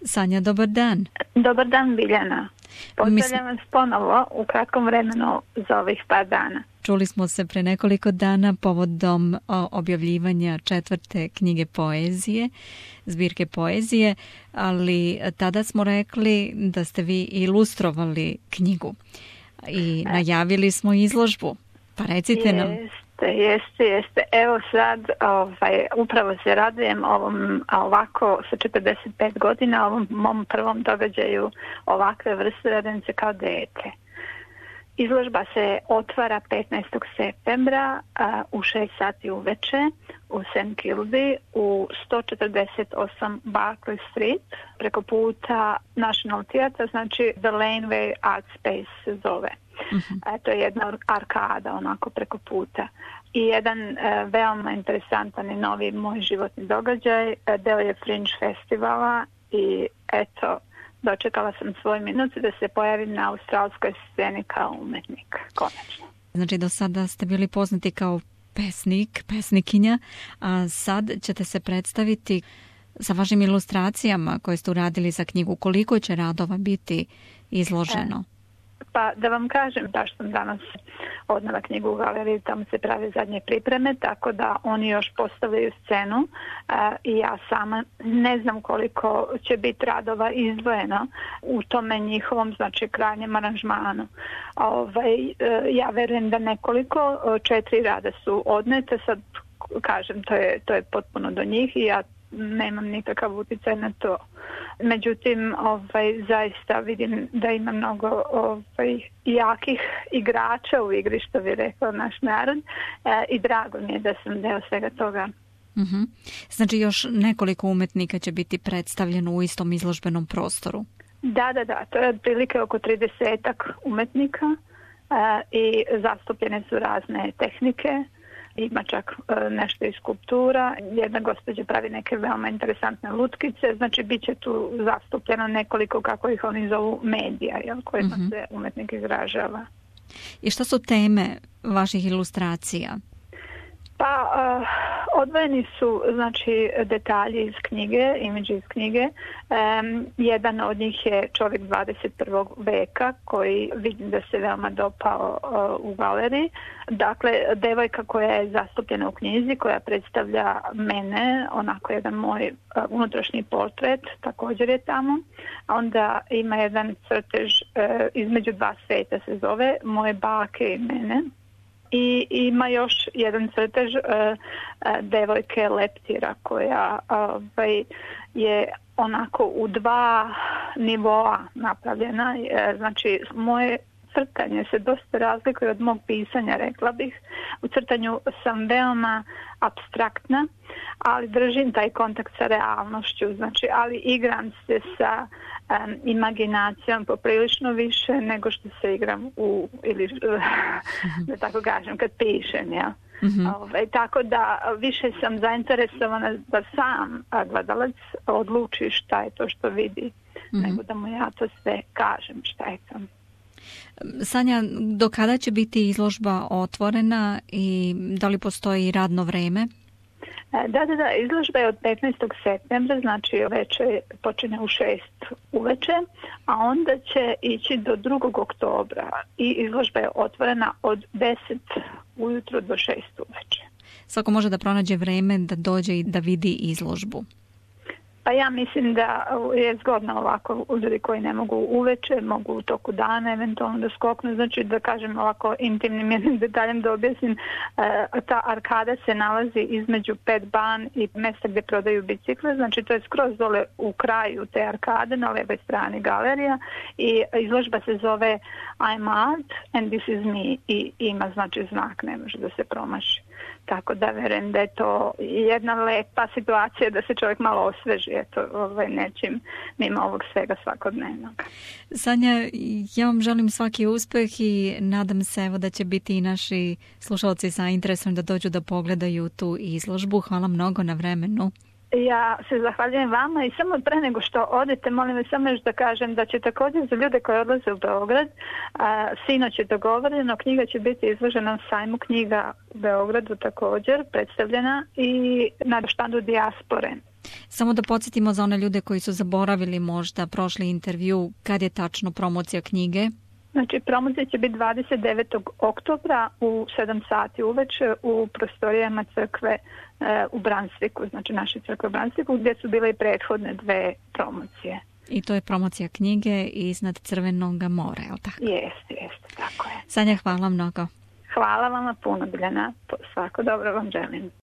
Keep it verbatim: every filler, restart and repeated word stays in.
Sanja, dobar dan. Dobar dan, Biljana. Pozdravljam vas ponovo u kratkom vremenu za ovih par dana. Čuli smo se pre nekoliko dana povodom objavljivanja četvrte knjige poezije, zbirke poezije, ali tada smo rekli da ste vi ilustrovali knjigu i najavili smo izložbu. Pa recite nam. Jeste, jeste, jeste. Evo sad, ovaj, upravo se radujem ovom, ovako sa četrdeset pet godina, ovom mom prvom događaju ovakve vrste, radujem se kao dete. Izložba se otvara petnaestog septembra a, u šest sati uveče u Saint Kilby u sto četrdeset osam Barclay Street preko puta National Theatre, znači The Laneway Art Space se zove. Uh-huh. E, to je jedna arkada onako preko puta. I jedan e, veoma interesantan i novi moj životni događaj, e, deo je Fringe festivala i eto, dočekala sam svoj minut da se pojavim na australskoj sceni kao umetnik, konačno. Znači do sada ste bili poznati kao pesnik, pesnikinja, a sad ćete se predstaviti sa vašim ilustracijama koje ste uradili za knjigu. Koliko će radova biti izloženo? E. Pa da vam kažem, baš sam danas odnela knjigu u galeriji, tamo se prave zadnje pripreme, tako da oni još postavljaju scenu uh, i ja sama ne znam koliko će biti radova izdvojeno u tome njihovom, znači krajnjem aranžmanu. Ovaj, uh, ja verujem da nekoliko, četiri rada su odnete, sad kažem, to je, to je potpuno do njih i ja nemam nikakav utjecaj na to. Međutim, ovaj, zaista vidim da ima mnogo ovaj, jakih igrača u igri, što bi rekao naš narod, e, i drago mi je da sam deo svega toga. Uh-huh. Znači još nekoliko umetnika će biti predstavljeno u istom izložbenom prostoru? Da, da, da. To je otprilike oko tridesetak umetnika e, i zastupljene su razne tehnike. Ima čak e, nešto iz skulptura, jedna gospođa pravi neke veoma interesantne lutkice, znači bit će tu zastupljeno nekoliko, kako ih oni zovu, medija, jel, kojima uh-huh. se umetnik izražava. I šta su teme vaših ilustracija? Pa uh, odvojeni su, znači, detalji iz knjige, imidži iz knjige. Um, jedan od njih je čovjek dvadeset prvog veka koji vidim da se veoma dopao uh, u galeriji. Dakle, devojka koja je zastupljena u knjizi, koja predstavlja mene, onako jedan moj uh, unutrašnji portret, također je tamo. Onda ima jedan crtež uh, između dva sveta se zove, moje bake i mene. I ima još jedan crtež uh, uh, devojke leptira koja uh, je onako u dva nivoa napravljena. Uh, znači, moje crtanje se dosta razlikuje od mog pisanja, rekla bih. U crtanju sam veoma apstraktna, ali držim taj kontakt sa realnošću, znači, ali igram se sa um, imaginacijom poprilično više nego što se igram u, ili da tako kažem, kad pišem, ja. Mm-hmm. Ove, tako da više sam zainteresovana da sam gledalac odluči šta je to što vidi, mm-hmm. nego da mu ja to sve kažem šta je to. Sanja, do kada će biti izložba otvorena i da li postoji radno vreme? Da, da, da, izložba je od petnaestog septembra, znači veče počinje u šest uveče, a onda će ići do drugog oktobra i izložba je otvorena od deset ujutro do šest uveče. Svako može da pronađe vreme da dođe i da vidi izložbu. Pa ja mislim da je zgodno ovako, ljudi koji ne mogu uveče, mogu u toku dana eventualno da skoknu, znači da kažem ovako intimnim jednim detaljem da objasnim, ta arkada se nalazi između Pet Ban i mjesta gdje prodaju bicikle, znači to je skroz dole u kraju te arkade, na levoj strani galerija i izložba se zove I'm Art and this is me i ima znači znak, ne može da se promaši. Tako da verujem da je to jedna lepa situacija da se čovjek malo osveži, eto, ovaj, nečim mimo ovog svega svakodnevnog. Sanja, ja vam želim svaki uspjeh i nadam se evo da će biti i naši slušalci sa interesom da dođu da pogledaju tu izložbu. Hvala mnogo na vremenu. Ja se zahvaljujem vama i samo pre nego što odete, molim vas samo još da kažem da će također za ljude koji odlaze u Beograd, a, sinoć je dogovoreno, knjiga će biti izložena na sajmu knjiga u Beogradu također, predstavljena i na štandu Dijaspore. Samo da podsjetimo za one ljude koji su zaboravili možda prošli intervju, kad je tačno promocija knjige? Znači, promocija će biti dvadeset devetog oktobra u sedam sati uveče u prostorijama crkve e, u Bransviku, znači naše crkve u Bransviku, gdje su bile i prethodne dve promocije. I to je promocija knjige Iznad crvenog mora, je li tako? Jeste, jeste, tako je. Sanja, hvala mnogo. Hvala vama puno, Biljana. Svako dobro vam želim.